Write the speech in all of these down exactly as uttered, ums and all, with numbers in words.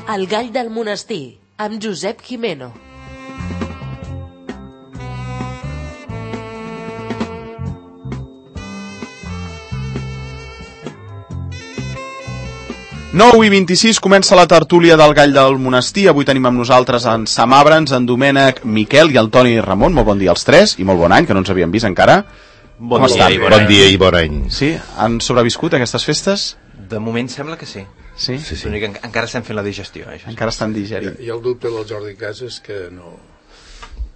El gall del monestir, amb Josep Gimeno. nou i vint-i-sis comença la tertúlia del gall del monestir. Avui tenim amb nosaltres en Sam Abrams, en Domènec, Miquel i el Toni Ramon. Molt bon dia als tres i molt bon any, que no ens havíem vist encara. Bon Com dia estan? i bon, bon dia i bon any. Sí? Han sobreviscut aquestes festes? De moment sembla que sí. Sí? Sí, sí. En, encara estem fent la digestió. Eh, encara estan digerint. I el dubte del Jordi Casas que no...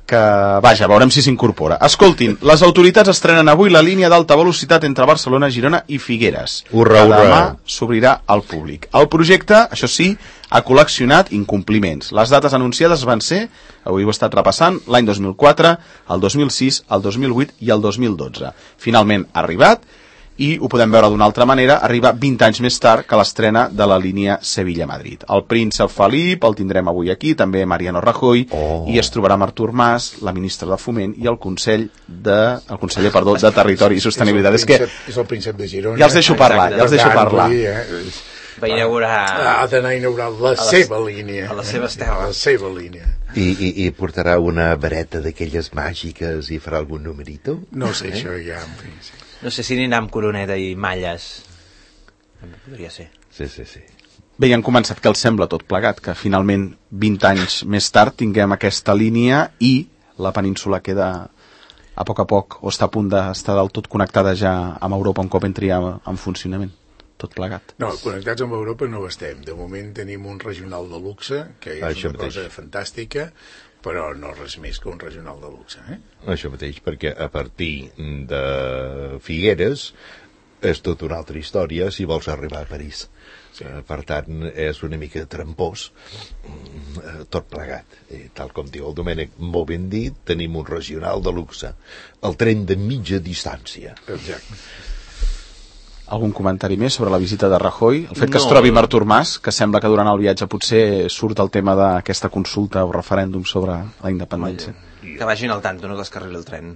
que, vaja, veurem si s'incorpora. Escoltin, les autoritats estrenen avui la línia d'alta velocitat entre Barcelona, Girona i Figueres. Urra, urra. Demà s'obrirà al públic. El projecte, això sí, ha col·leccionat incompliments. Les dates anunciades van ser, avui ho he estat repassant, l'any dos mil quatre, el dos mil sis, el dos mil vuit i el dos mil dotze. Finalment ha arribat, i ho podem veure d'una altra manera, arriba vint anys més tard que l'estrena de la línia Sevilla-Madrid. El príncep Felip el tindrem avui aquí, també Mariano Rajoy, oh. i es trobarà amb Artur Mas, la ministra de Foment i el Consell de, el conseller, perdó, de Territori i Sostenibilitat. És, príncep, és, que... és el príncep de Girona. Ja els deixo parlar, ja els deixo parlar. Dir, eh? Va inaugurar... Ha d'anar a inaugurar la, la seva línia. A les seves terres. La seva línia. I, i, i portarà una vareta d'aquelles màgiques i farà algun numerito? No sé, eh? Això ja... En fi, sí. No sé si anirà amb coroneta i malles. També podria ser. Sí, sí, sí. Bé, ja han començat, que els sembla tot plegat, que finalment vint anys més tard tinguem aquesta línia i la península queda a poc a poc, o està a punt d'estar del tot connectada ja amb Europa un cop entri en funcionament. Tot plegat. No, connectats amb Europa no ho estem. De moment tenim un regional de luxe, que és Això una mateix. cosa fantàstica, però no res més que un regional de luxe. Eh? Això mateix, perquè a partir de Figueres és tota una altra història si vols arribar a París. Sí. Per tant, és una mica trampós tot plegat. I, tal com diu el Domènec, molt ben dit, tenim un regional de luxe. El tren de mitja distància. Exacte. Algun comentari més sobre la visita de Rajoy? El fet que no, es trobi amb Artur Mas, que sembla que durant el viatge potser surt el tema d'aquesta consulta o referèndum sobre la independència. Que vagin al tanto, no descarrili el tren.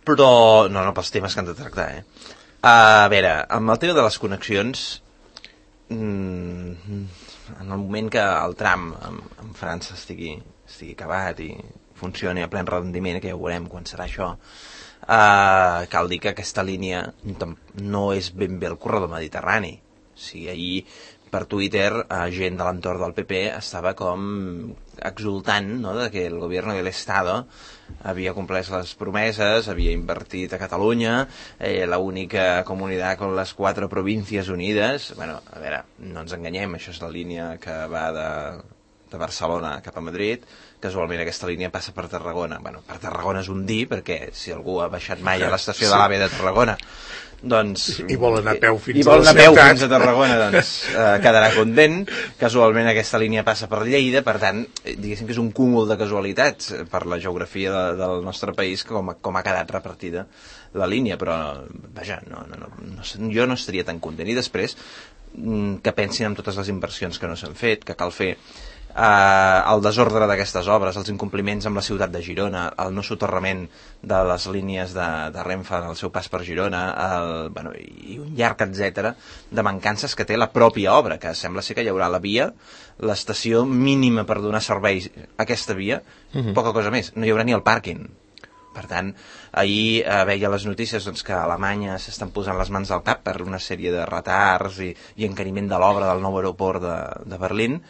Però, no, no, pels temes que han de tractar, eh? A veure, amb el tema de les connexions, mmm, en el moment que el tram amb, amb França estigui, estigui acabat i funcioni a plen rendiment, que ja ho veurem quan serà això, Uh, cal dir que aquesta línia no és ben bé el corredor mediterrani. O sigui, ahir per Twitter uh, gent de l'entorn del P P estava com exultant, no?, de que el govern de l'Estado havia complert les promeses, havia invertit a Catalunya, eh, l'única comunitat con les quatre províncies unides. Bueno, a veure, no ens enganyem, això és la línia que va de, de Barcelona cap a Madrid. Casualment aquesta línia passa per Tarragona. Bueno, per Tarragona és un dir, perquè si algú ha baixat mai a l'estació sí. de l'AVE de Tarragona, doncs... I vol anar a peu fins i a vol la anar a peu ciutat. fins a Tarragona, doncs eh, quedarà content. Casualment aquesta línia passa per Lleida, per tant, diguéssim que és un cúmul de casualitats per la geografia de, del nostre país, com, com ha quedat repartida la línia, però, vaja, no, no, no, no, jo no estaria tan content. I després, que pensin en totes les inversions que no s'han fet, que cal fer, Uh, el desordre d'aquestes obres, els incompliments amb la ciutat de Girona, el no soterrament de les línies de, de Renfe en el seu pas per Girona, el, bueno, i un llarg etcètera de mancances que té la pròpia obra, que sembla ser que hi haurà la via, l'estació mínima per donar serveis a aquesta via, uh-huh. poca cosa més, no hi haurà ni el pàrquing. Per tant, ahir eh, veia les notícies doncs, que a Alemanya s'estan posant les mans al cap per una sèrie de retards i, i encariment de l'obra del nou aeroport de, de Berlín.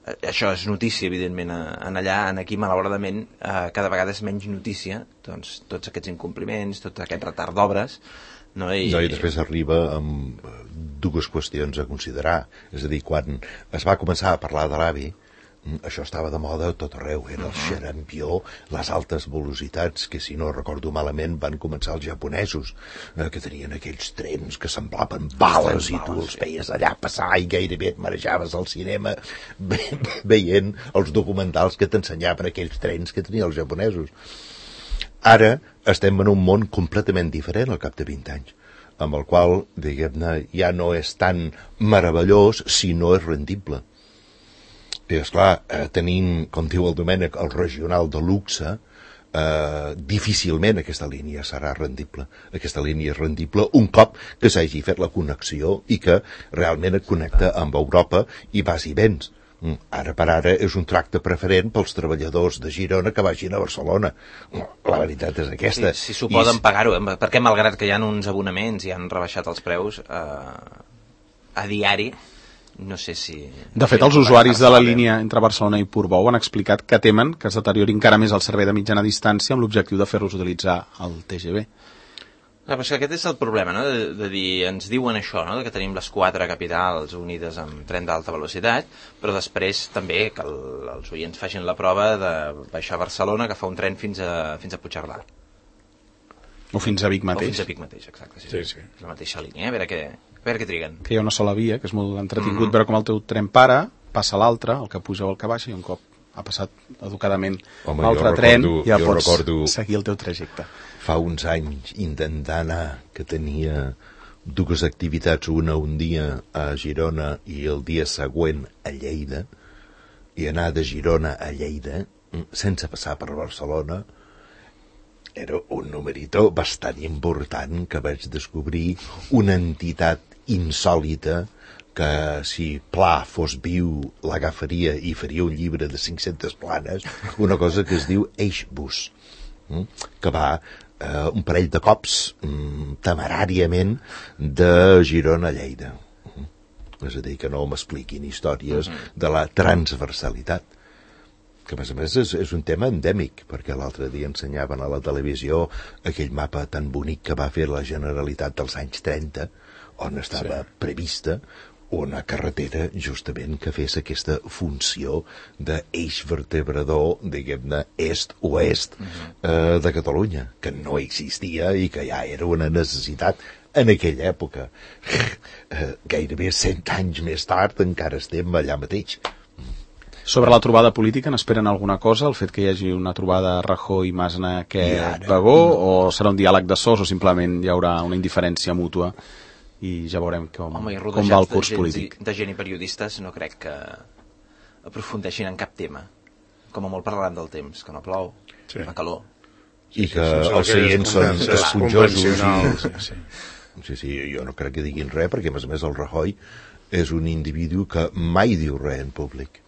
Això és notícia, evidentment, en allà, en aquí, malauradament, eh, cada vegada és menys notícia, doncs, tots aquests incompliments, tot aquest retard d'obres, no? I... No, i després arriba amb dues qüestions a considerar. És a dir, quan es va començar a parlar de l'AVI, això estava de moda a tot arreu, era el xarampió, les altes velocitats, que si no recordo malament van començar els japonesos, eh, que tenien aquells trens que semblaven bales i tu els veies allà passar i gairebé et marejaves al cinema veient els documentals que t'ensenyaven aquells trens que tenien els japonesos. Ara estem en un món completament diferent al cap de vint anys, amb el qual, diguem-ne, ja no és tan meravellós si no és rendible. I, esclar, eh, tenint, com diu el Domènec, el regional de luxe, eh, difícilment aquesta línia serà rendible. Aquesta línia és rendible un cop que s'hagi fet la connexió i que realment et connecta amb Europa i vas i vens. Ara per ara és un tracte preferent pels treballadors de Girona que vagin a Barcelona. La veritat és aquesta. Si, si s'ho poden I... pagar-ho, eh? Perquè malgrat que hi ha uns abonaments i han rebaixat els preus eh, a diari, no sé si... De fet, els usuaris de la línia entre Barcelona i Portbou han explicat que temen que es deteriori encara més el servei de mitjana distància amb l'objectiu de fer-los utilitzar el T G V. Ah, però és que aquest és el problema, no? de, de dir, ens diuen això, no? Que tenim les quatre capitals unides amb tren d'alta velocitat, però després també que el, els oients facin la prova de baixar a Barcelona, que fa un tren fins a, fins a Puigcerdà. O fins a Vic mateix. O fins a Vic mateix, exacte. Sí, sí, sí. sí. La mateixa línia, eh? a, veure què, a veure què triguen. Que hi ha una sola via, que és molt entretingut, mm. veure com el teu tren para, passa l'altre, el que puja o el que baixa, i un cop ha passat educadament l'altre tren, ja pots recordo... seguir el teu trajecte. Fa uns anys intentar anar, que tenia dues activitats, una un dia a Girona i el dia següent a Lleida, i anar de Girona a Lleida sense passar per Barcelona era un numerito bastant important, que vaig descobrir una entitat insòlita que si Pla fos viu l'agafaria i faria un llibre de cinc-centes planes, una cosa que es diu Eixbus, que va eh, un parell de cops mm, temeràriament de Girona a Lleida. És a dir, que no m'expliquin històries de la transversalitat, que a més a més és, és un tema endèmic, perquè l'altre dia ensenyaven a la televisió aquell mapa tan bonic que va fer la Generalitat dels anys trenta, on estava sí. prevista una carretera justament que fes aquesta funció d'eix vertebrador, diguem-ne, est-oest eh, de Catalunya, que no existia i que ja era una necessitat en aquella època. Eh, gairebé cent anys més tard encara estem allà mateix. Sobre la trobada política, n'esperen alguna cosa? El fet que hi hagi una trobada Rajoy, Masna, que Bagó, o serà un diàleg de sos, o simplement hi haurà una indiferència mútua i ja veurem com, Home, com va el curs de gent, polític. De gent i periodistes no crec que aprofundeixin en cap tema. Com a molt parlaran del temps, que no plou, sí. la calor. I que sí, els seients són esponjosos. I... Sí. sí, sí, jo no crec que diguin res, perquè a més a més el Rajoy és un individu que mai diu res en públic.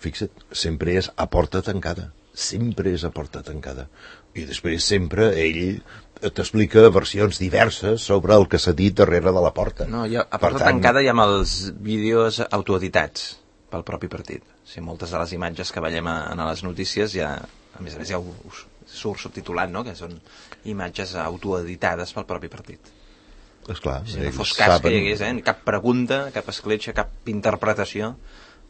Fixa't, sempre és a porta tancada. Sempre és a porta tancada. I després sempre ell t'explica versions diverses sobre el que s'ha dit darrere de la porta. No, ha, a porta tant... tancada hi ha els vídeos autoeditats pel propi partit. O sigui, moltes de les imatges que veiem a, a les notícies ja, a més a més ja ho, ho surt subtitulat, no? Que són imatges autoeditades pel propi partit. Esclar, si no fos cas saben... que hi hagués eh? cap pregunta, cap escletxa, cap interpretació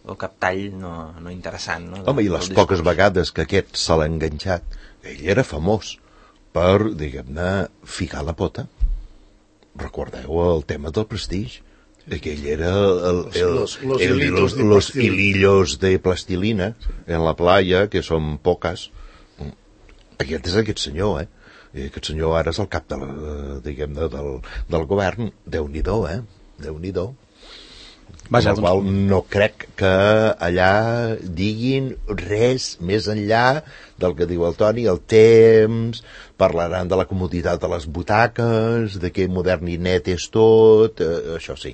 o cap tall no, no interessant. No? Home, i les poques vegades que aquest se l'ha enganxat, ell era famós per, diguem-ne, ficar la pota. Recordeu el tema del prestigi? Aquell era el, el, los, los, el, los, de los hilillos de plastilina en la playa, que són poques. Aquest és aquest senyor, eh? I aquest senyor ara és el cap de la, diguem-ne, del, del govern. Déu-n'hi-do, eh? Déu-n'hi-do. Vaja, amb el qual no crec que allà diguin res més enllà del que diu el Toni, el temps, parlaran de la comoditat de les butaques, de que modern i net és tot, eh, això sí.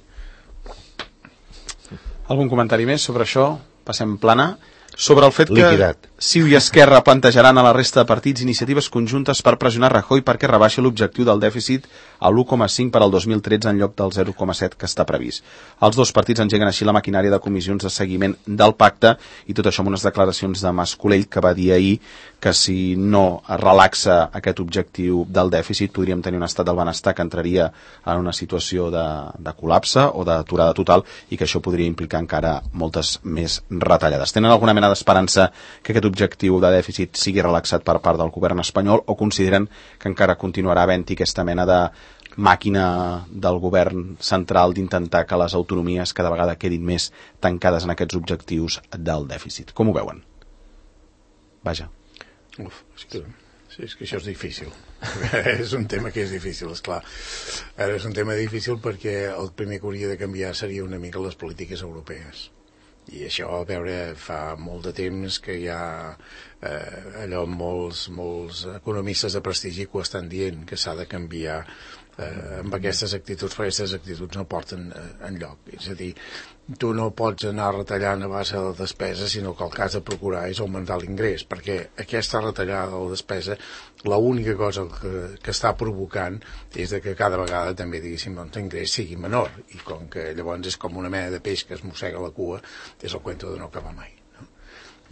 Algun comentari més sobre això? Passem plana. Sobre el fet que Liquidat. Ciu i Esquerra plantejaran a la resta de partits iniciatives conjuntes per pressionar Rajoy perquè rebaixi l'objectiu del dèficit a l'u coma cinc per al dos mil tretze en lloc del zero coma set que està previst. Els dos partits engeguen així la maquinària de comissions de seguiment del pacte i tot això amb unes declaracions de Mas Colell que va dir ahir que si no es relaxa aquest objectiu del dèficit podríem tenir un estat del benestar que entraria en una situació de, de col·lapse o d'aturada total i que això podria implicar encara moltes més retallades. Tenen alguna mena d'esperança que aquest objectiu de dèficit sigui relaxat per part del govern espanyol o consideren que encara continuarà havent-hi aquesta mena de màquina del govern central d'intentar que les autonomies cada vegada quedin més tancades en aquests objectius del dèficit? Com ho veuen? Vaja. Uf, és que, sí, és que això és difícil. És un tema que és difícil, esclar. Ara és un tema difícil perquè el primer que hauria de canviar seria una mica les polítiques europees. I això, a veure, fa molt de temps que ja eh, allò molts, molts economistes de prestigi que ho estan dient, que s'ha de canviar eh, amb aquestes actituds, perquè aquestes actituds no porten eh, enlloc. És a dir, tu no pots anar retallant a base de la despesa, sinó que el que has de procurar és augmentar l'ingrés, perquè aquesta retallada de la despesa, l'única cosa que, que està provocant és de que cada vegada també, diguéssim, doncs, l'ingrés sigui menor, i com que llavors és com una mena de peix que es mossega la cua, és el cuento de no acabar mai. No?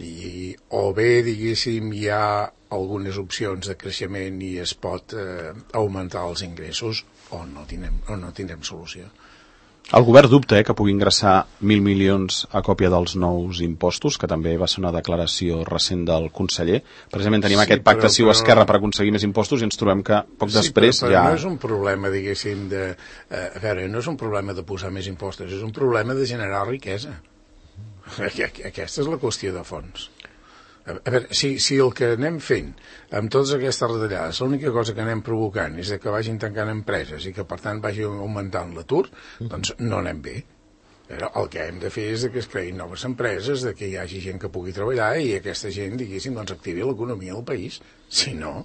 I, o bé, diguéssim, hi ha algunes opcions de creixement i es pot eh, augmentar els ingressos, o no tindrem, o no tindrem solució. El govern dubta eh, que pugui ingressar mil milions a còpia dels nous impostos, que també va ser una declaració recent del conseller. Precisament tenim sí, aquest pacte però, Ciu-Esquerra per aconseguir més impostos i ens trobem que poc sí, després però, però ja... no és un problema, diguéssim, de... Eh, a veure, no és un problema de posar més impostos, és un problema de generar riquesa. Aquesta és la qüestió de fons. A veure, si, si el que anem fent amb totes aquestes retallades, l'única cosa que anem provocant és que vagin tancant empreses i que per tant vagi augmentant l'atur, doncs no anem bé. Però el que hem de fer és que es creïn noves empreses, de que hi hagi gent que pugui treballar i aquesta gent, diguéssim, doncs activi l'economia del país. Si no,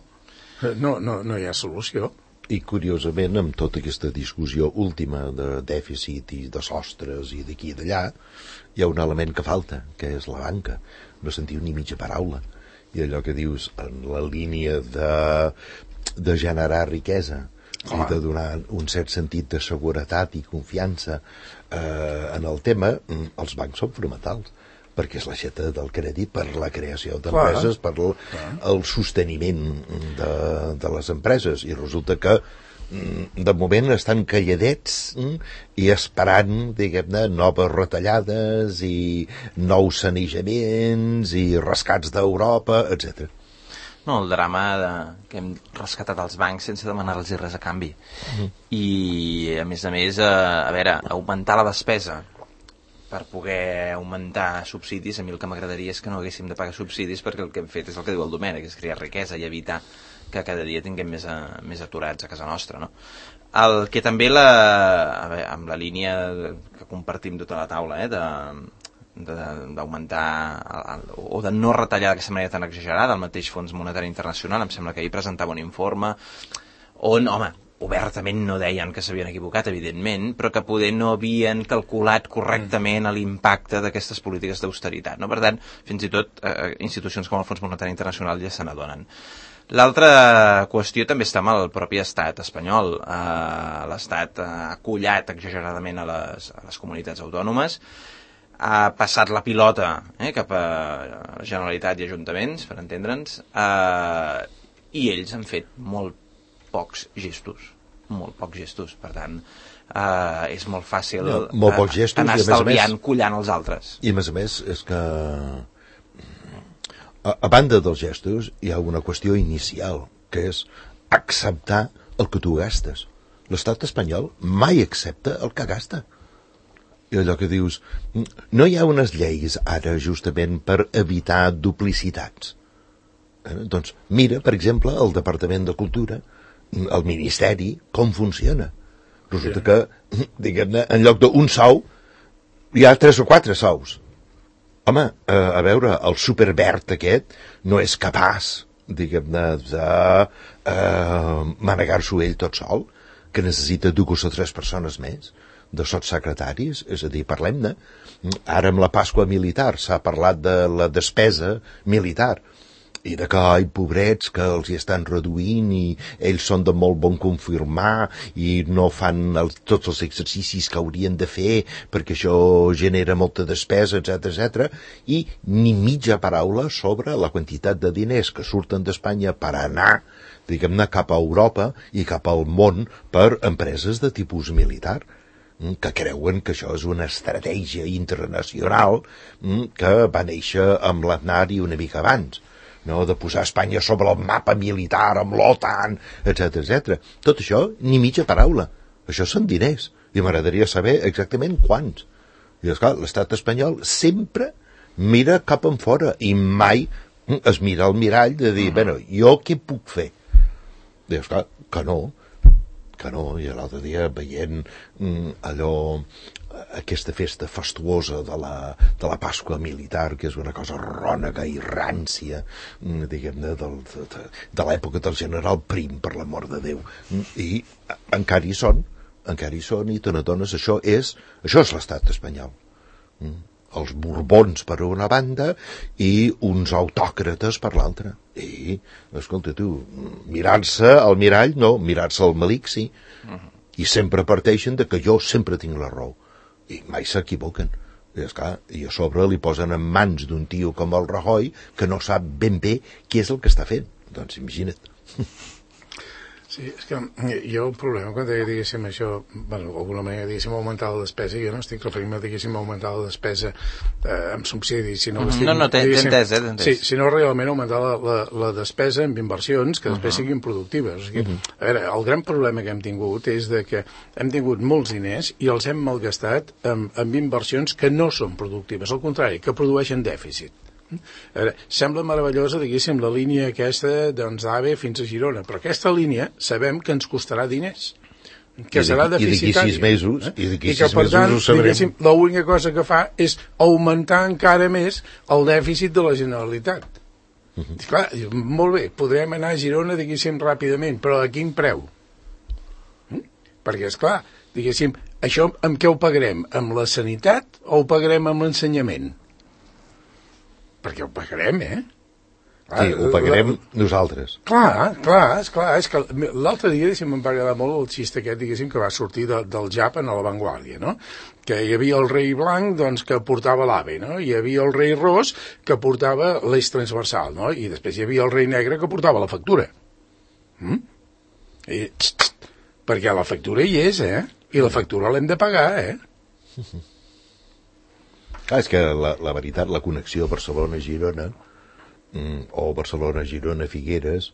no, no, no hi ha solució. I curiosament, amb tota aquesta discussió última de dèficit i de sostres i d'aquí i d'allà, hi ha un element que falta, que és la banca. No sentiu ni mitja paraula. I allò que dius, en la línia de, de generar riquesa i de donar un cert sentit de seguretat i confiança eh, en el tema, els bancs són fonamentals, perquè és l'aixeta del crèdit per la creació d'empreses, per el, el sosteniment de, de les empreses, i resulta que de moment estan calladets i esperant, diguem-ne, noves retallades i nous sanejaments i rescats d'Europa, etcètera. No, el drama de, que hem rescatat els bancs sense demanar-los res a canvi. Mm. I, a més a més, a, a veure, augmentar la despesa per poder augmentar subsidis, a mi el que m'agradaria és que no haguéssim de pagar subsidis, perquè el que hem fet és el que diu el Domènec, és crear riquesa i evitar que cada dia tinguem més, a, més aturats a casa nostra, no? El que també la, a veure, amb la línia que compartim tota la taula, eh, de d'augmentar o de no retallar d'aquesta manera tan exagerada el mateix Fons Monetari Internacional, em sembla que ahir presentava un informe on, home, obertament no deien que s'havien equivocat, evidentment, però que poder no havien calculat correctament l'impacte d'aquestes polítiques d'austeritat, no? Per tant, fins i tot eh, institucions com el Fons Monetari Internacional ja se n'adonen. L'altra qüestió també està amb el propi estat espanyol. Eh, L'estat ha collat exageradament a les, a les comunitats autònomes, ha passat la pilota eh, cap a Generalitat i Ajuntaments, per entendre'ns, eh, i ells han fet molt pocs gestos, molt pocs gestos, per tant eh, és molt fàcil no, molt pocs gestos, anar estalviant, més, collant els altres. I a més a més és que a, a banda dels gestos hi ha una qüestió inicial, que és acceptar el que tu gastes. L'estat espanyol mai accepta el que gasta. I allò que dius, no hi ha unes lleis ara justament per evitar duplicitats. Eh? Doncs mira, per exemple, el Departament de Cultura, el Ministeri, com funciona. Resulta que, diguem-ne, en lloc d'un sou, hi ha tres o quatre sous. Home, eh, a veure, el superverd aquest no és capaç, diguem-ne, de eh, manegar-s'ho ell tot sol, que necessita dues o tres persones més, de sotssecretaris, és a dir, parlem-ne. Ara amb la Pasqua militar s'ha parlat de la despesa militar, i de que, ai, pobrets, que els hi estan reduint i ells són de molt bon confirmar i no fan el, tots els exercicis que haurien de fer perquè això genera molta despesa, etcètera, etcètera, i ni mitja paraula sobre la quantitat de diners que surten d'Espanya per anar, diguem-ne, cap a Europa i cap al món per empreses de tipus militar, que creuen que això és una estratègia internacional que va néixer amb l'Aznar i una mica abans, no? De posar Espanya sobre el mapa militar amb l'OTAN, etcètera, etcètera. Tot això, ni mitja paraula. Això són diners, i m'agradaria saber exactament quants. I esclar, l'estat espanyol sempre mira cap en fora i mai es mira al mirall de dir, bueno, jo què puc fer? I esclar, que no, que no, i l'altre dia veient mm, allò, aquesta festa fastuosa de la, de la Pasqua militar, que és una cosa rònega i rància, mm, diguem-ne, del, de, de l'època del general Prim, per l'amor de Déu, mm, i encara hi són, encara hi són, i te n'adones, això és, això és l'estat espanyol. Mm. Els borbons per una banda i uns autòcrates per l'altra. I, escolta tu, mirar-se al mirall, no, mirar-se al melic, sí. Uh-huh. I sempre parteixen de que jo sempre tinc la raó. I mai s'equivoquen. I, esclar, i a sobre li posen en mans d'un tio com el Rajoy que no sap ben bé què és el que està fent. Doncs imagina't. Sí, és que jo el problema quan deia, diguéssim, això, bueno, d'alguna manera, diguéssim, augmentar la despesa, jo no estic referint-me, diguéssim, augmentar la despesa eh, amb subsidis, sinó... Mm-hmm. No, no, t'he entès, eh, t'he entès. Sí, sinó realment augmentar la, la, la despesa amb inversions que després uh-huh. siguin productives. O sigui, uh-huh. A veure, el gran problema que hem tingut és de que hem tingut molts diners i els hem malgastat amb, amb inversions que no són productives, al contrari, que produeixen dèficit. A veure, sembla meravellosa, diguéssim, la línia aquesta doncs, d'A V E fins a Girona, però aquesta línia sabem que ens costarà diners, que serà deficitària. I d'aquí sis mesos, eh? i d'aquí sis per mesos tant, ho sabrem. l'única cosa que fa és augmentar encara més el dèficit de la Generalitat. Uh-huh. Clar, molt bé, podrem anar a Girona, diguéssim, ràpidament, però a quin preu? Mm? Perquè, esclar, diguéssim, això amb què ho pagarem? Amb la sanitat o ho pagarem amb l'ensenyament? Perquè ho pagarem, eh? Clar, sí, ho pagarem la... nosaltres. Clar, clar, és clar. És que l'altre dia, diguéssim, em va agradar molt el xiste aquest, diguéssim, que va sortir de, del Jap en La Vanguardia, no? Que hi havia el rei blanc, doncs, que portava l'A V E, no? Hi havia el rei ros, que portava l'eix transversal, no? I després hi havia el rei negre, que portava la factura. Mm? I, txt, txt, perquè la factura hi és, eh? I la factura l'hem de pagar, eh? Clar, és que la, la veritat, la connexió Barcelona-Girona mm, o Barcelona-Girona-Figueres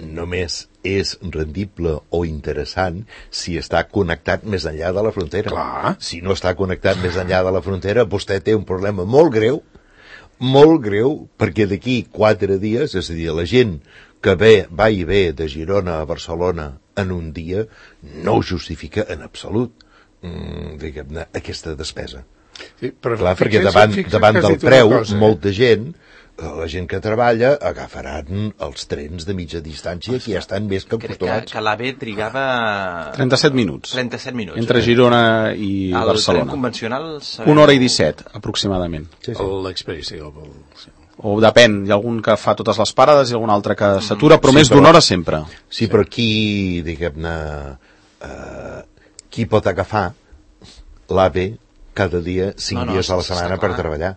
només és rendible o interessant si està connectat més enllà de la frontera. Clar. Si no està connectat més enllà de la frontera, vostè té un problema molt greu, molt greu, perquè d'aquí quatre dies, és a dir, la gent que ve, va i ve de Girona a Barcelona en un dia, no justifica en absolut mm, diguem-ne, aquesta despesa. Sí, però clar, perquè davant, davant del preu, cosa, eh? Molta gent, la gent que treballa, agafaran els trens de mitja distància que ja estan més que acostumats. Que, que l'A V E trigava... trenta-set minuts. trenta-set minuts. Entre Girona i el Barcelona. El tren convencional... Sabeu... Una hora i disset, aproximadament. Sí, sí. L'Express, sí. El... O depèn, hi ha algun que fa totes les parades i algun altre que s'atura, però sí, més d'una hora sempre. Sí, però qui, diguem-ne, eh, qui pot agafar l'A V E cada dia, cinc no, no, dies a la setmana per treballar?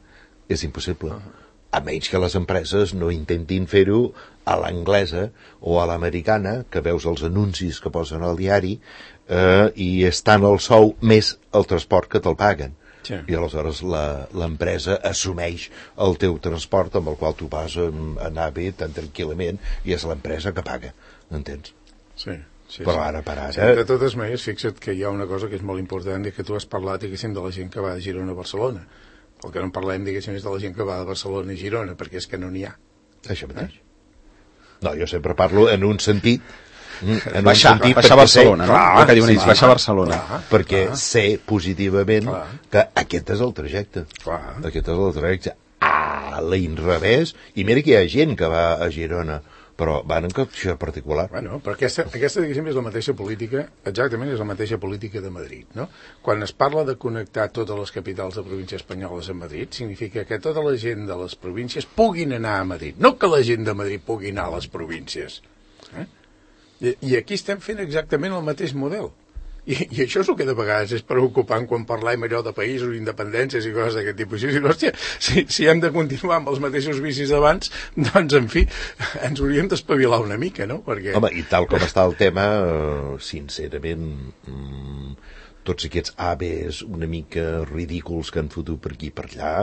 És impossible. Uh-huh. A menys que les empreses no intentin fer-ho a l'anglesa o a l'americana, que veus els anuncis que posen al diari, eh, i és tant el sou més el transport que te'l paguen. Sí. I aleshores l'empresa assumeix el teu transport amb el qual tu vas a anar bé tan tranquil·lament i és l'empresa que paga, entens? Sí. Sí, però sí. ara per ara... Sí, de totes maneres, fixa't que hi ha una cosa que és molt important i que tu has parlat, diguéssim, de la gent que va de Girona a Barcelona. El que no parlem, diguéssim, és de la gent que va de Barcelona a Girona, perquè és que no n'hi ha. Això mateix. Eh? No, jo sempre parlo en un sentit... En baixar, un sentit baixar a Barcelona, no? Clar, que diuen ells, baixar a Barcelona. Clar, perquè clar. Sé positivament clar. Que aquest és el trajecte. Clar. Aquest és el trajecte. A l'inrevés, i mira que hi ha gent que va a Girona, però van en capció particular. Bueno, però aquesta, aquesta diguéssim, és la mateixa política, exactament és la mateixa política de Madrid, no? Quan es parla de connectar totes les capitals de províncies espanyoles a Madrid, significa que tota la gent de les províncies puguin anar a Madrid, no que la gent de Madrid pugui anar a les províncies. Eh? I, I aquí estem fent exactament el mateix model. I, I això és el que de vegades és preocupant quan parlem allò de països, independències i coses d'aquest tipus. Si, hòstia, si, si hem de continuar amb els mateixos vicis d'abans, doncs, en fi, ens hauríem d'espavilar una mica, no? Perquè... Home, i tal com està el tema, sincerament, mmm, tots aquests A V Es una mica ridículs que han fotut per aquí i per allà,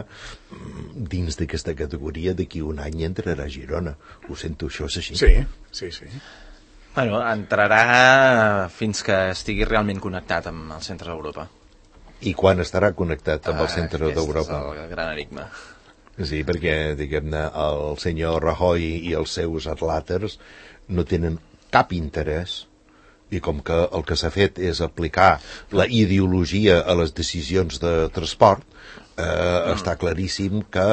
dins d'aquesta categoria, d'aquí un any entrarà a Girona. Ho sento, això és així. Sí, sí, sí. Bueno, entrarà fins que estigui realment connectat amb el centre d'Europa. I quan estarà connectat amb el centre ah, d'Europa? Aquest és el gran enigma. Sí, perquè, diguem-ne, el senyor Rajoy i els seus atlàters no tenen cap interès i com que el que s'ha fet és aplicar la ideologia a les decisions de transport, eh, mm. està claríssim que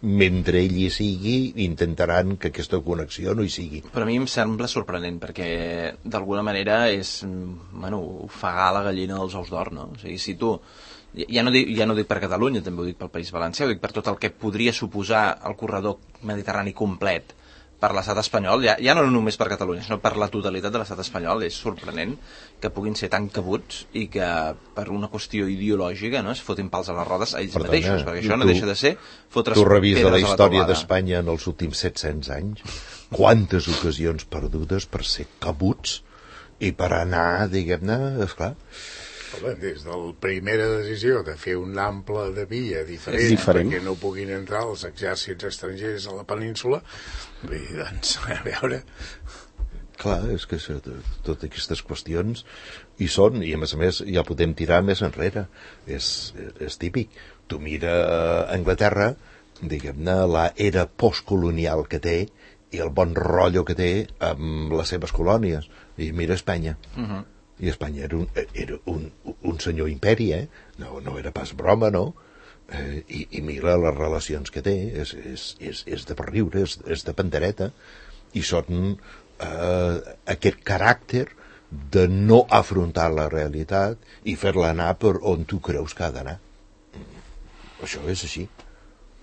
mentre ell hi sigui intentaran que aquesta connexió no hi sigui. Però a mi em sembla sorprenent perquè d'alguna manera és, bueno, ofegar la gallina dels ous d'or, no? O sigui, si tu ja no, dic, ja no dic per Catalunya, també ho dic pel País Valencià, ho dic per tot el que podria suposar el corredor mediterrani complet per l'estat espanyol, ja, ja no només per Catalunya, sinó per la totalitat de l'estat espanyol. És sorprenent que puguin ser tan cabuts i que per una qüestió ideològica, no, es fotin pals a les rodes a ells Perdona, mateixos, perquè això no tu, deixa de ser fotre's pedres a la teulada. Tu revisa la història d'Espanya en els últims set-cents anys, quantes ocasions perdudes per ser cabuts i per anar, diguem-ne, esclar... Des de la primera decisió de fer un ample de via diferent, diferent. perquè no puguin entrar els exèrcits estrangers a la península, bé, doncs, a veure... Clar, és que això, totes aquestes qüestions hi són, i a més a més ja podem tirar més enrere. És, és típic. Tu mira Anglaterra, diguem-ne, la era postcolonial que té i el bon rotllo que té amb les seves colònies. I mira Espanya. Uh -huh. I Espanya era un, era un, un senyor imperi, eh? No, no era pas broma, no? Eh, i, I mira les relacions que té, és, és, és, és de per riure, és, és de pandereta, i són eh, aquest caràcter de no afrontar la realitat i fer-la anar per on tu creus que ha d'anar. Això és així.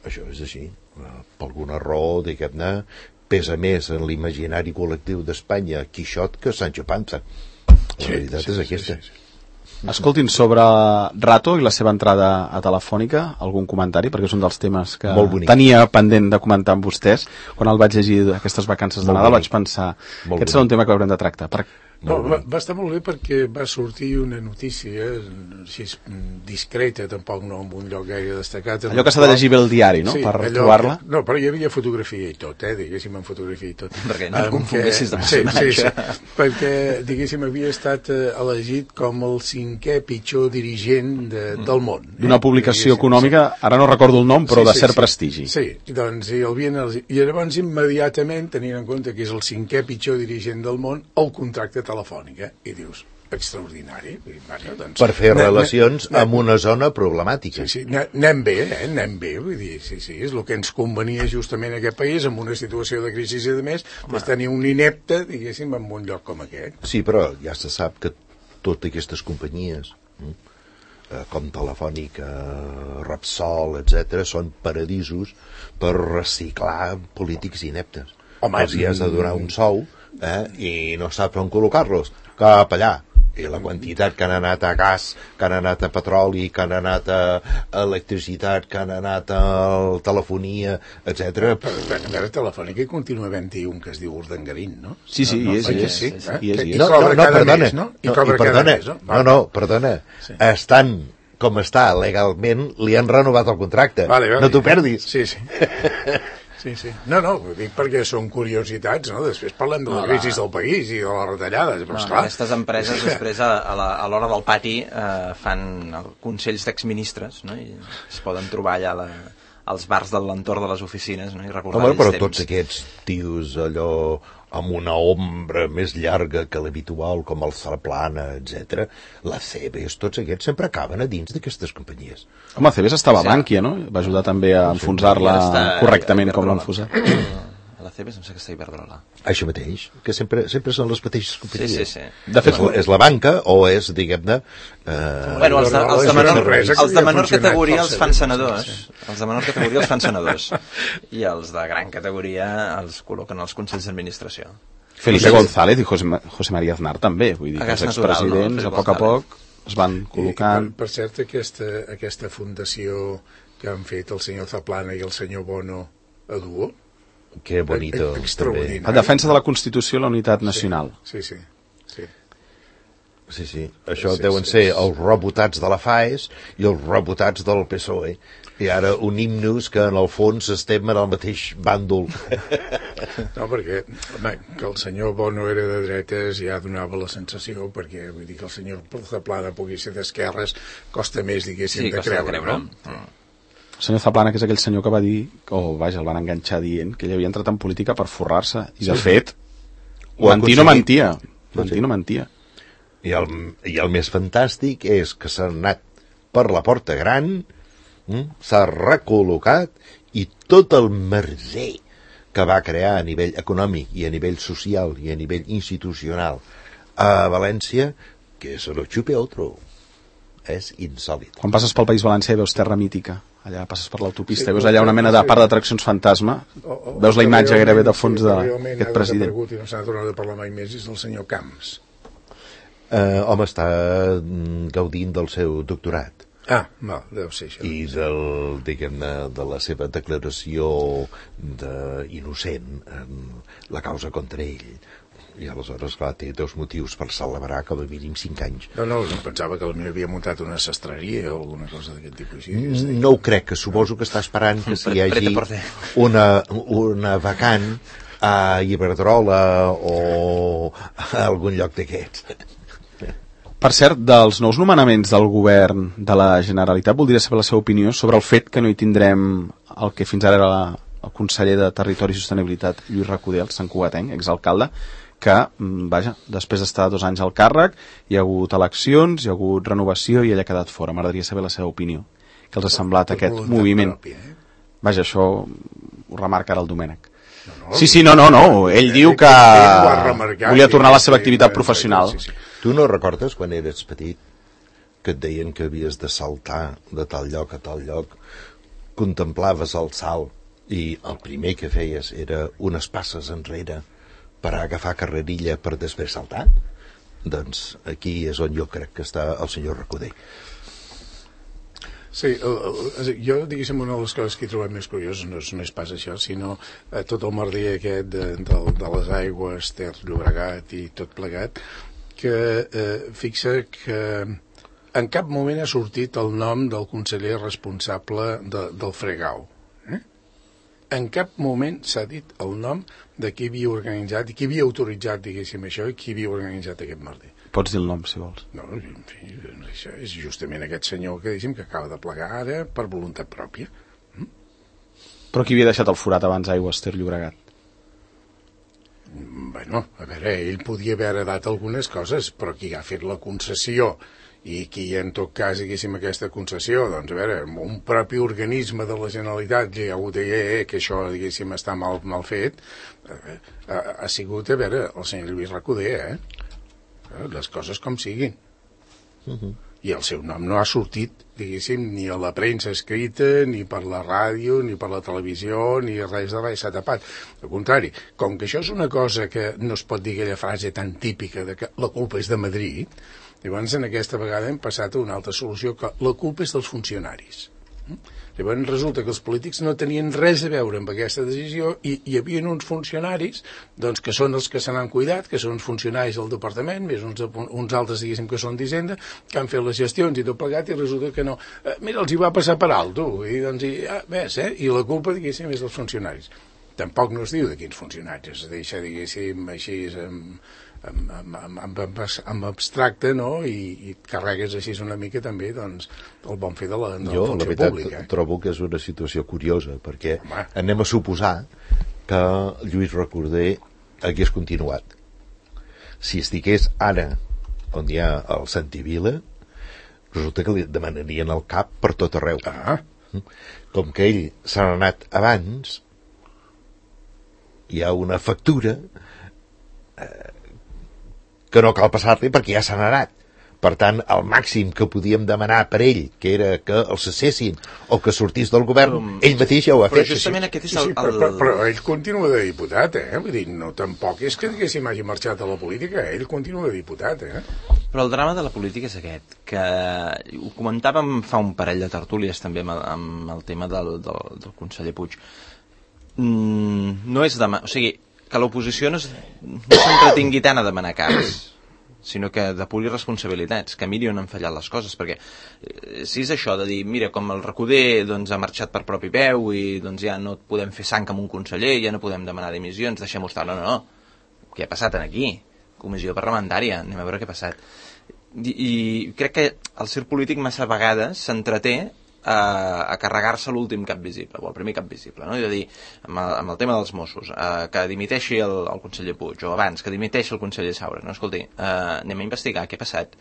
Això és així. Per alguna raó, diguem-ne, pesa més en l'imaginari col·lectiu d'Espanya Quixot que Sancho Panza. La veritat sí, sí, és aquesta. Sí, sí, sí. Escoltin, sobre Rato i la seva entrada a Telefònica, algun comentari? Perquè és un dels temes que tenia pendent de comentar amb vostès. Quan el vaig llegir aquestes vacances de Nadal vaig pensar que aquest serà un tema que haurem de tractar. Per... No, va, va estar molt bé perquè va sortir una notícia així discreta, tampoc no en un lloc gaire destacat. Allò que s'ha de llegir bé el diari, no? Sí, per trobar-la. No, però hi havia fotografia i tot, eh? Diguéssim, en fotografia i tot. Perquè no et confonguessis de personatge. Sí, sí, sí, perquè, diguéssim, havia estat elegit com el cinquè pitjor dirigent de, del món. D'una publicació econòmica, ara no recordo el nom, però sí, de cert sí, prestigi. Sí, doncs i, el havien, i llavors immediatament, tenint en compte que és el cinquè pitjor dirigent del món, el contracte telefònica, i dius, extraordinari. I, bueno, doncs, per fer relacions amb una zona problemàtica. Sí, sí, anem bé, eh? anem bé, vull dir, sí, sí, és el que ens convenia justament a aquest país, amb una situació de crisi i de més, és tenir un inepte, diguéssim, en un lloc com aquest. Sí, però ja se sap que totes aquestes companyies, eh, com Telefònica, Repsol, etcètera, són paradisos per reciclar polítics ineptes. Home, els hi has de donar un sou, eh, i no saps on col·locar-los, cap allà. I la quantitat que han anat a gas, que han anat a petroli, que han anat a electricitat, que han anat a telefonia, etcètera. Però, però, a veure, Telefònica hi continua havent-hi un que es diu Urdangarín, no? Sí, sí, no, hi és, hi és. Sí, eh? I és, i és. No, no, no, perdona. Mes, no? I cobra cada mes, no? No, no, perdona. Sí. Estan com està legalment, li han renovat el contracte. Vale, vale. No t'ho perdis. Sí, sí. Sí, sí. No, no, ho dic perquè són curiositats, no? Després parlem de la crisi del país i de les retallades, però no, esclar. Aquestes empreses després a, a, la, a l'hora del pati eh, fan consells d'exministres, no? I es poden trobar allà la, als bars de l'entorn de les oficines, no? I recordar Home, però temps. Tots aquests tios allò amb una ombra més llarga que l'habitual, com el Saplana, etcètera, la Cebes, tots aquests sempre acaben a dins d'aquestes companyies. Home, Cebes estava a Bànquia, no? Va ajudar també a enfonsar-la correctament com l'ha enfonsat. La Cebes em sembla que està a Iberdrola. Això mateix, que sempre, sempre són les mateixes companyies. Sí, sí, sí. De fet, és, la, és la banca o és, diguem-ne... Eh, bueno, els de, els de menor, els de menor categoria els fan senadors. Els de menor categoria els fan senadors. I els de gran categoria els col·loquen als consells d'administració. Felipe González i José, José María Aznar també, vull dir, que els expresidents, no? a poc a poc, es van col·locant... I, per, per cert, aquesta, aquesta fundació que han fet el senyor Zaplana i el senyor Bono a duo, que bonito. Extraordinari. La defensa de la Constitució i la unitat nacional. Sí, sí, sí. Sí, sí. Això sí, deuen sí, ser sí. els rebotats de la FAES i els rebotats del P S O E. I ara unim-nos que en el fons estem en el mateix bàndol. No, perquè home, que el senyor Bono era de dretes ja donava la sensació, perquè vull dir que el senyor Zaplana pugui ser d'esquerres costa més, diguéssim, sí, de creure, creure. no? Mm. El senyor Zaplana, que és aquell senyor que va dir, o vaja, el van enganxar dient que ell havia entrat en política per forrar-se, i de fet, Ho mentir no aconseguit. mentia, mentir no mentia. I el, i el més fantàstic és que s'ha anat per la porta gran, s'ha recol·locat i tot el merder que va crear a nivell econòmic i a nivell social i a nivell institucional a València, que se lo xupe otro. És insòlit. Quan passes pel País Valencià i veus terra mítica, allà passes per l'autopista, sí, veus allà una mena de part d'atraccions fantasma, o, o, veus la imatge gairebé de fons sí, d'aquest president. I no s'ha tornat a parlar mai més, és el senyor Camps. Uh, home, està gaudint del seu doctorat. Ah, no, deu ser això. I del, diguem-ne, de la seva declaració d'innocent en la causa contra ell. I aleshores, clar, té dos motius per celebrar com a mínim cinc anys. No, no, pensava que potser havia muntat una sastreria o alguna cosa d'aquest tipus. No ho crec, que suposo que està esperant que s'hi hagi una, una vacant a Iberdrola o a algun lloc d'aquests. Per cert, dels nous nomenaments del govern de la Generalitat, voldria saber la seva opinió sobre el fet que no hi tindrem el que fins ara era la, el conseller de Territori i Sostenibilitat, Lluís Recoder, el santcugatenc, exalcalde, que, vaja, després d'estar dos anys al càrrec, hi ha hagut eleccions, hi ha hagut renovació i ell ha quedat fora. M'agradaria saber la seva opinió. Què els ha semblat tot aquest moviment? Pròpia, eh? Vaja, això ho remarca ara el Domènec. No, no, sí, sí, no, no, no. Ell diu que volia tornar a la seva activitat professional. Sí, sí. Tu no recordes quan eres petit que et deien que havies de saltar de tal lloc a tal lloc? Contemplaves el salt i el primer que feies era unes passes enrere per agafar carrerilla per després saltar? Doncs aquí és on jo crec que està el senyor Recoder. Sí, el, el, jo, diguéssim, una de les coses que he trobat més curioses no és, no és pas això, sinó eh, tot el merder aquest de, de, de les aigües, Ter Llobregat i tot plegat, que eh, fixa que en cap moment ha sortit el nom del conseller responsable de, del fregau. Eh? En cap moment s'ha dit el nom de qui havia organitzat i qui havia autoritzat, diguéssim, això, i qui havia organitzat aquest merder. Pots dir el nom, si vols. No, en fi, això és justament aquest senyor que, diguéssim, que acaba de plegar ara per voluntat pròpia. Mm? Però qui havia deixat el forat abans Aigües Ter Llobregat? Bueno, a veure, ell podia haver heredat algunes coses, però qui ha fet la concessió i qui en tot cas, diguéssim, aquesta concessió, doncs a veure, un propi organisme de la Generalitat que ha hagut de dir eh, que això, diguéssim, està mal, mal fet, eh, ha, ha sigut, a veure, el senyor Lluís Recoder, eh? Les coses com siguin. Uh-huh. I el seu nom no ha sortit, diguéssim, ni a la premsa escrita, ni per la ràdio, ni per la televisió, ni res de res, s'ha tapat. Al contrari, com que això és una cosa que no es pot dir aquella frase tan típica de que la culpa és de Madrid, llavors en aquesta vegada hem passat a una altra solució, que la culpa és dels funcionaris. Llavors resulta que els polítics no tenien res a veure amb aquesta decisió i hi havia uns funcionaris doncs, que són els que se n'han cuidat, que són funcionaris del departament, més uns, uns altres, diguéssim, que són d'Hisenda, que han fet les gestions i tot plegat, i resulta que no. Eh, mira, els hi va passar per alt, tu, i doncs, i, ah, ves, eh? I la culpa, diguéssim, és dels funcionaris. Tampoc no es diu de quins funcionaris, es deixa, diguéssim, així, amb, amb, amb, amb, amb, amb abstracte, no? I, i carregues així una mica també, doncs, el bon fer de la, de la jo, funció la veritat, pública. Eh? Trobo que és una situació curiosa, perquè Home. anem a suposar que Lluís Recoder hagués continuat. Si estigués ara on hi ha el Santi Vila, resulta que li demanarien el cap per tot arreu. Ah. Com que ell s'ha anat abans, hi ha una factura eh, que no cal passar-li perquè ja s'han anat. Per tant, el màxim que podíem demanar per ell, que era que els cessessin o que sortís del govern, um, ell mateix ja ho ha però fet. Però justament sí, aquest és el... Sí, sí, però, però, però ell continua de diputat, eh? Vull dir, no, tampoc és que, diguéssim, hagi marxat a la política, ell continua de diputat, eh? Però el drama de la política és aquest, que ho comentàvem fa un parell de tertúlies també amb el, amb el tema del, del, del conseller Puig. Mm, no és demà... O sigui, que l'oposició no s'entretingui tant a demanar caps, sinó que depuri responsabilitats, que miri on han fallat les coses, perquè eh, si és això de dir, mira, com el Recoder doncs, ha marxat per propi peu i doncs, ja no podem fer sang amb un conseller, ja no podem demanar dimissions, deixem-ho estar, no, no, no, què ha passat aquí? Comissió parlamentària, anem a veure què ha passat. I, i crec que el circ polític massa vegades s'entreté a, a carregar-se l'últim cap visible, o el primer cap visible, no? És a dir, amb el, amb el tema dels Mossos, eh, que dimiteixi el, el conseller Puig, o abans, que dimiteixi el conseller Saura, no? Escolti, eh, anem a investigar què ha passat,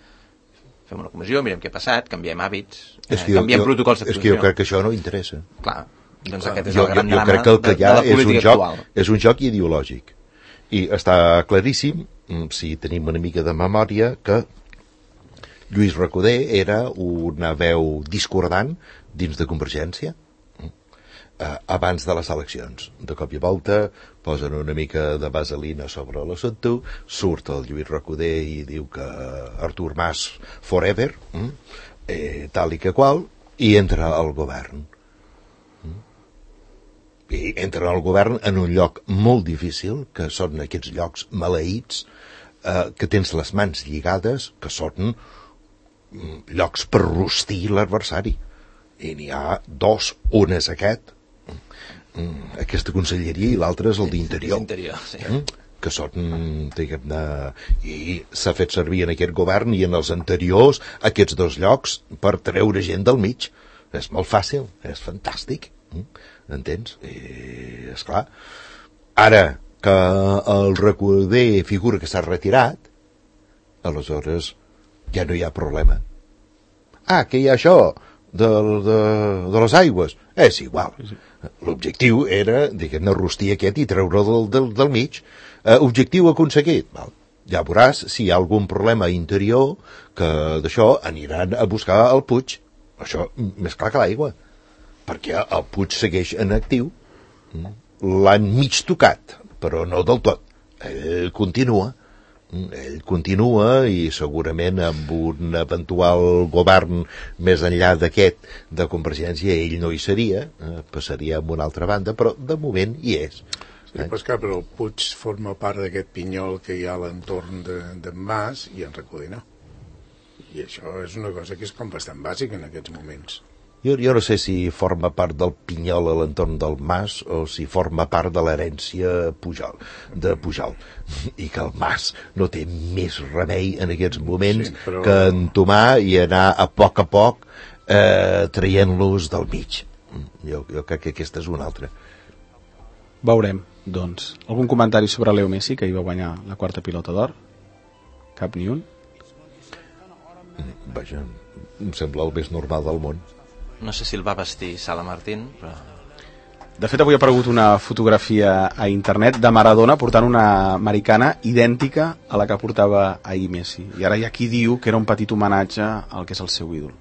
fem una comissió, mirem què ha passat, canviem hàbits, eh, canviem jo, protocols d'actuació. És que jo crec que això no interessa. Clar, doncs aquest és jo, el gran jo, jo drama crec que el que de, hi ha de la és un, política joc, actual. és un joc ideològic. I està claríssim, si tenim una mica de memòria, que Lluís Recoder era una veu discordant dins de Convergència eh, abans de les eleccions. De cop i volta posen una mica de vaselina sobre l'assumpte, surt el Lluís Recoder i diu que Artur Mas forever, eh, tal i que qual, i entra al govern. I entra al govern en un lloc molt difícil, que són aquests llocs maleïts, eh, que tens les mans lligades, que són llocs per rostir l'adversari. I n'hi ha dos, un és aquest, aquesta conselleria, i l'altre és el d'Interior. Sí. Que són, diguem-ne, i s'ha fet servir en aquest govern i en els anteriors aquests dos llocs per treure gent del mig. És molt fàcil, és fantàstic, entens? I, esclar, ara que el Recoder figura que s'ha retirat, aleshores ja no hi ha problema. Ah, que hi ha això de, de, de les aigües, és igual. L'objectiu era, diguem-ne, rostir aquest i treure'l del, del, del mig. Uh, objectiu aconseguit. Val. Ja veuràs si hi ha algun problema interior que d'això aniran a buscar el Puig. Això més clar que l'aigua. Perquè el Puig segueix en actiu. L'han mig tocat, però no del tot. Ell continua. Ell continua i segurament amb un eventual govern més enllà d'aquest de Convergència ell no hi seria, eh, passaria a una altra banda, però de moment hi és. Sí, però, clar, però el Puig forma part d'aquest pinyol que hi ha a l'entorn de, de Mas i en Recoder no. I això és una cosa que és com bastant bàsica en aquests moments. Jo, jo no sé si forma part del pinyol a l'entorn del Mas o si forma part de l'herència Pujol, de Pujol, i que el Mas no té més remei en aquests moments sí, però... que entomar i anar a poc a poc eh, traient-los del mig. Jo, jo crec que aquesta és una altra. Veurem, doncs. Algun comentari sobre Leo Messi, que hi va guanyar la quarta pilota d'or? Cap ni un? Vaja, em sembla el més normal del món. No sé si el va vestir Sala Martín, però... De fet, avui ha aparegut una fotografia a internet de Maradona portant una americana idèntica a la que portava ahir Messi. I ara hi ha qui diu que era un petit homenatge al que és el seu ídol.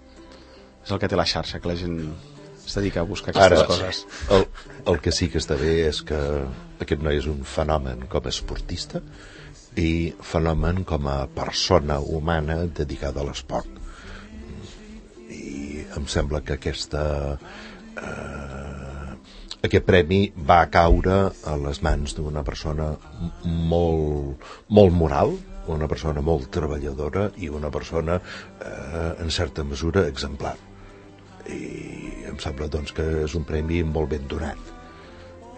És el que té la xarxa, que la gent es dedica a buscar aquestes ara, coses. El, el que sí que està bé és que aquest noi és un fenomen com a esportista i fenomen com a persona humana dedicada a l'esport. Em sembla que aquesta, eh, aquest premi va caure a les mans d'una persona molt, molt moral, una persona molt treballadora i una persona, eh, en certa mesura, exemplar. I em sembla, doncs, que és un premi molt ben donat.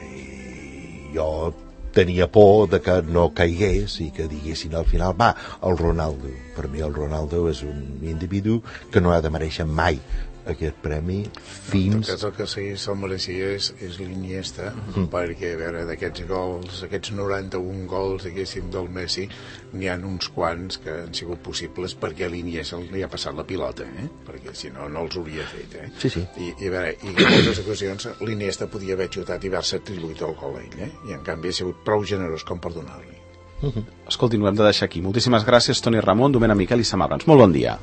I jo tenia por de que no caigués i que diguessin al final, va, el Ronaldo. Per mi el Ronaldo és un individu que no ha de mereixer mai aquest premi fins... En tot cas, el que sí se'l mereixia és, és l'Iniesta, mm. perquè, a veure, d'aquests gols, aquests noranta-un gols, diguéssim, del Messi, n'hi ha uns quants que han sigut possibles perquè l'Iniesta li ha passat la pilota, eh? Perquè si no, no els hauria fet, eh? Sí, sí. I, i a veure, i en moltes ocasions l'Iniesta podia haver xutat i haver-se atribuït el gol a ell, eh? I en canvi ha sigut prou generós com per donar-li. Uh-huh. Escolti, ho hem de deixar aquí. Moltíssimes gràcies, Toni Ramon, Domènec Miquel i Sam Abrams. Molt bon dia.